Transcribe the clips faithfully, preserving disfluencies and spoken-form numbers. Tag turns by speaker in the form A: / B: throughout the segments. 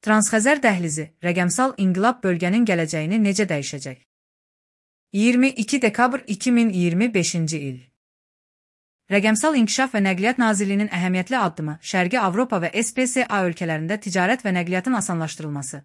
A: Transxəzər dəhlizi, rəqəmsal inqilab bölgənin gələcəyini necə dəyişəcək? iyirmi iki dekabr iki min iyirmi beşinci il. Rəqəmsal İnkişaf və Nəqliyyat Nazirliyinin əhəmiyyətli addımı Şərqi Avropa və S P C A ölkələrində ticarət və nəqliyyatın asanlaşdırılması,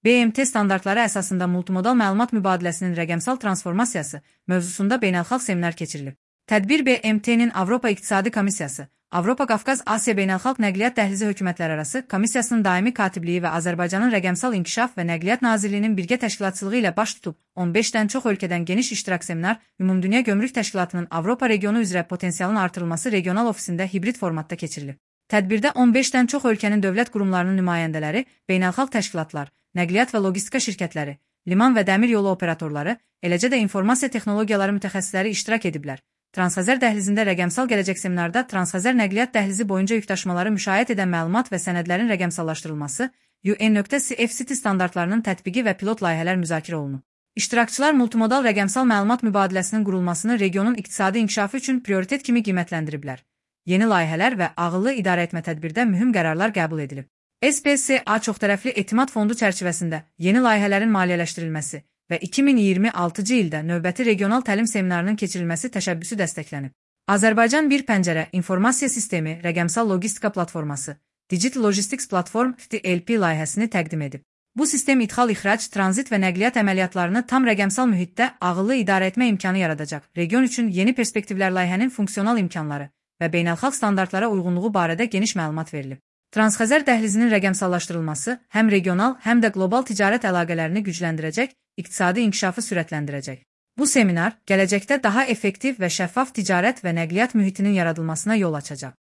A: B M T standartları əsasında multimodal məlumat mübadiləsinin rəqəmsal transformasiyası mövzusunda beynəlxalq seminar keçirilib. Tədbir B M T'nin Avropa İqtisadi Komissiyası, Avropa Qafqaz Asiya Beynəlxalq Nəqliyyat Dəhlizi Hökumətlərarası Komissiyasının daimi katibliyi və Azərbaycanın Rəqəmsal İnkişaf və Nəqliyyat Nazirliyinin birgə təşkilatçılığı ilə baş tutub, on beşdən çox ölkədən geniş iştirak seminar, Ümumdünya Gömrük Təşkilatının Avropa regionu üzrə potensialın artırılması regional ofisində hibrid formatda keçirilib. Tədbirdə on beşdən çox ölkənin dövlət qurumlarının nümayəndələri, beynəlxalq təşkilatlar, nəqliyyat və logistika şirkətləri, liman və dəmir yolu operatorları, eləcə də informasiya texnologiyaları mütəxəssisləri iştirak ediblər. Transxəzər dəhlizində rəqəmsal gələcək seminarda Transxəzər nəqliyyat dəhlizi boyunca yükdaşımaları müşayiət edən məlumat və sənədlərin rəqəmsallaşdırılması, U N C F C T standartlarının tətbiqi və pilot layihələr müzakirə olunub. İştirakçılar multimodal rəqəmsal məlumat mübadiləsinin qurulmasını regionun iqtisadi inkişafı üçün prioritet kimi qiymətləndiriblər. Yeni layihələr və ağıllı idarəetmə tədbirdə mühüm qərarlar qəbul edilib. S P C A çoxtərəfli etimad fondu çərçivəsində yeni layihələrin maliyyələşdirilməsi və iki min iyirmi altıncı ildə növbəti regional təlim seminarının keçirilməsi təşəbbüsü dəstəklənib. Azərbaycan bir pəncərə informasiya sistemi rəqəmsal logistika platforması, Digital Logistics Platform D L P layihəsini təqdim edib. Bu sistem ixal-ixrac, tranzit və nəqliyyat əməliyyatlarını tam rəqəmsal mühitdə ağıllı idarə etmə imkanı yaradacaq. Region üçün yeni perspektivlər layihənin funksional imkanları və beynəlxalq standartlara uyğunluğu barədə geniş məlumat verilib. Transxəzər dəhlizinin rəqəmsallaşdırılması həm regional, həm də qlobal ticarət əlaqələrini gücləndirəcək, iqtisadi inkişafı sürətləndirəcək. Bu seminar gələcəkdə daha effektiv və şəffaf ticarət və nəqliyyat mühitinin yaradılmasına yol açacaq.